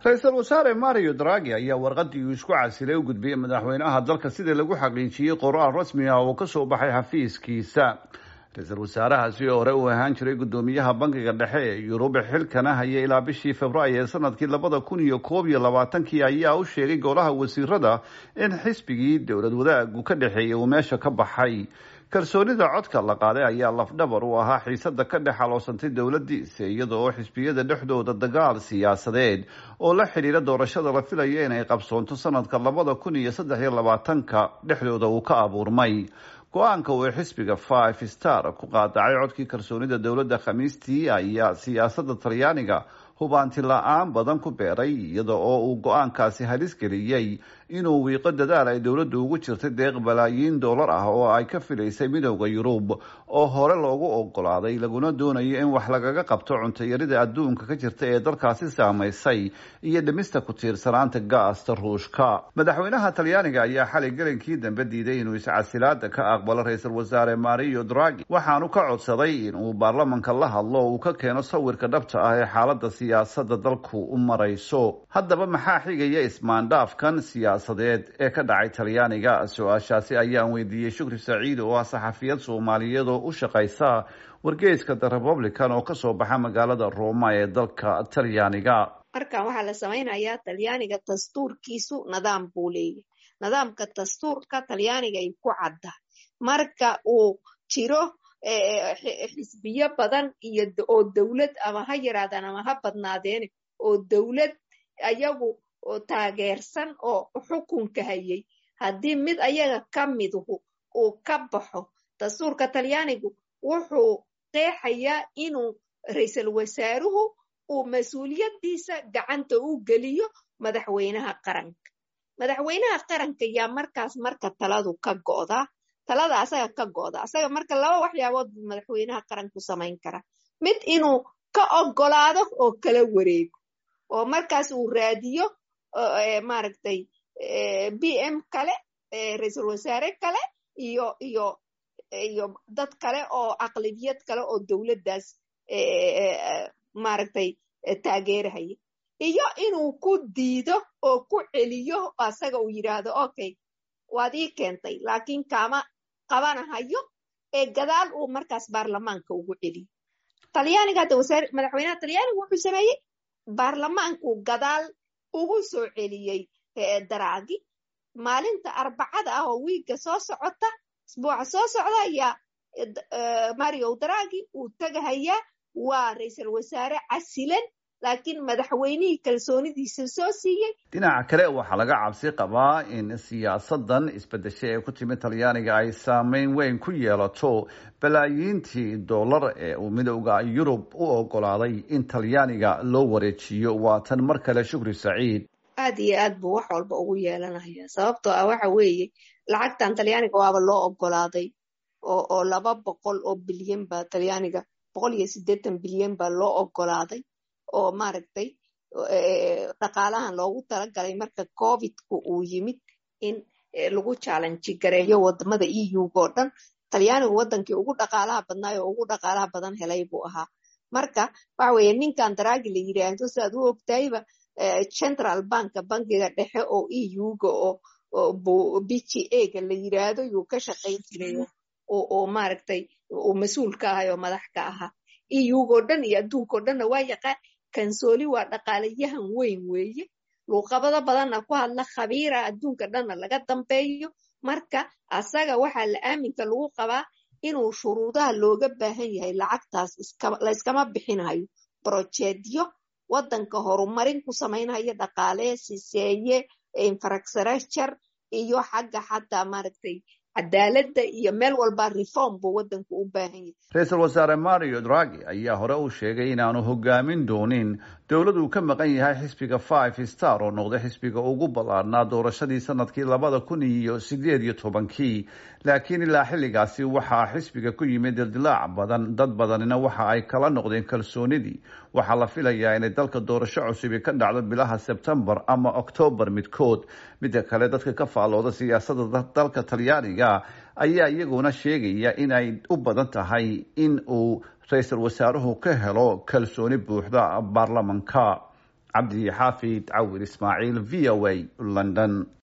Ra-iisul wasaare Mario Draghi ayaa warqadii uu isku casilay u gudbiyey madaxweynaha dalka, sidii lagu xaqiijiyey qoraal rasmi ah oo kasoo baxay xafiiskiisa. Ra-iisul wasaarahaasi oo hore uu ahaan jiray guddoomiyaha Bankiga Dhexe ee Yurub, xilkana hayay ilaa bishii Februaayo ee sanadkii 2021-kii, ayaa u sheegay golaha wasiirada in xisbigii dowlad wadaagu ka dhexeeyay uu meesha ka baxay. Kalsoonida codka la qaaday ayaa lafdhabar u ahaa xiisada ka dhex aloosantay dowladiisa, iyada oo xisbiyada dhexdooda dagaal siyaasadeed oo la xidhiira doorashada la filayo inay qabsoonto sanadka 2023-ka dhexdooda uu ka abuurmay. Go-aanka uu xisbiga Five Star ku qaadacay codkii kalsoonida dowladda Khamiistii ayaa siyaasadda Talyaaniga hubaanti la-aan badan ku beeray, iyada oo uu go-aankaasi halis geliyey inuu wiiqo dadaal ay dowladdu ugu jirtay deeq balaayiin dollar ah oo ay ka filaysay Midowda Yurub, oo hore loogu ogolaaday, laguna doonayo in wax lagaga qabto cuntayarida adduunka ka jirta ee dalkaasi saamaysay iyo dhimista ku tiirsanaanta gaasta Ruushka. Madaxweynaha Talyaaniga ayaa xalay gelinkii dambe diiday inuu iscasilaada ka aqbalo ra-iisul wasaare Mario Draghi, waxaanu ka codsaday inuu baarlamanka la hadlo oo uu ka keeno sawirka dhabta ah ee xaalada siyaasadda dalku u marayso. Haddaba, maxaa xigaya ismaandhaafkan siyaasadeed ee ka dhacay Talyaaniga? Su-aashaasi ayaan weydiiyey Shukri Saciid oo ah saxafiyad Soomaaliyeed oo u shaqaysa wargeyska The Republican oo kasoo baxa magaalada Roma ee dalka Talyaaniga. Markan waxaa la samaynayaa, Talyaaniga dastuurkiisu nidaam buu leeyahay. Nidaamka dastuurka Talyaaniga ay ku cadda, marka uu jiro xisbiyo badan iyo oo dowlad, ama ha yaraadaan ama ha badnaadeene, oo dowlad ayagu oo taageersan oo xukunka hayay, haddii mid ayaga ka miduhu uu ka baxo, dastuurka Talyaanigu wuxuu qeexayaa inuu ra-iisul wasaaruhu uu mas-uuliyaddiisa gacanta u geliyo madaxweynaha qaranka. Madaxweynaha qaranka yaa markaas marka taladu ka go'daa, talada asaga ka go'da asaga. Marka laba waxyaabood buu madaxweynaha qaranku samayn karaa: mid, inuu ka ogolaado oo kala wareego, oo markaas uu raadiyo, maaragtay, PM kale, ra-iisul wasaare kale iyo dad kale oo aqlabiyad kale oo dowladdaas, maaragtay, taageerahaya, iyo inuu ku diido oo ku celiyo asaga, uu yidhaahdo, "Okay, waad ii keentay, laakiin kaama qabanahayo," ee gadaal uu markaas baarlamaanka ugu celiyo. Talyaaniga hadda madaxweynaha Talyaaniga wuxuu sameeyey, baarlamaanku gadaal ugu soo celiyey Draghi. Maalinta Arbacada ah oo wiigga soo socota, isbuuca soo socda, ayaa Mario Draghi uu tagahayaa. Waa ra-iisul wasaare casilan, laakiin madaxweynihii kalsoonidiisa soo siiyey. Dhinaca kale, waxaa laga cabsi qabaa in siyaasadan isbedeshay ee ku timid Talyaaniga ay saameyn weyn ku yeelato balaayiintii dollar ee uu Midowda Yurub u ogolaaday in Talyaaniga loo wareejiyo. Waa tan mar kale Shukri Saciid. Aad iyo aad buu wax walba ugu yeelanaya, sababtoo ah waxa weeye lacagtan Talyaaniga waaba loo ogolaaday, oo 200 oo bilyan baa Talyaaniga, 180 bilyan baa loo ogolaaday, oo, maaragtay, dhaqaalahan loogu talagalay marka Covidku uu yimid in lagu challenge gareeyo wadamada EU-ga oo dhan. Talyaanigu wadankii ugu dhaqaalaha badnaay oo ugu dhaqaalaha badan helay buu ahaa. Marka waxa weeye, ninkan Draghi la yiraahdo, si aad u ogtahayba, central banka, bankiga dhexe oo EU-ga oo BGA-ga la yiraahdo, yuu ka shaqayn jiray oo, maaragtay, uu mas-uul ka ahay oo madax ka ahaa. EU-ga oo dhan iyo adduunka oo dhanna waa yaqaan. Kansooli waa dhaqaalayahan weyn weeye, luuqabado badanna ku hadla, khabiira adduunka dhanna laga dambeeyo. Marka asaga waxaa la aaminka lagu qabaa inuu shuruudaha looga baahan yahay lacagtaas layskama bixinayo, projectyo wadanka horumarin ku samaynaya, dhaqaale siseeye, infrastructure iyo xagga xataa, maaragtay, cadaaladda iyo meel walba reform buu wadanku u baahan yahay. Ra-iisul wasaare Mario Draghi ayaa hore u sheegay inaanu hogaamin doonin dowlad uu ka maqan yahay xisbiga Five Star, oo noqday xisbiga ugu ballaarnaa doorashadii sanadkii 2018-kii. Laakiin ilaa xilligaasi waxaa xisbiga ku yimid dildilaac badan, dad badanina waxa ay kala noqdeen kalsoonidii. Waxaa la filayaa inay dalka doorasho cusubi ka dhacdo bilaha Sebtembar ama Octoobar midkood. Midda kale, dadka ka faallooda siyaasadda dalka Talyaaniga ayaa iyaguna sheegaya in ay u badan tahay in uu ra-iisul wasaaruhu ka helo kalsooni buuxda baarlamanka. Cabdi Xaafid Cawir Ismaaciil, V O A, London.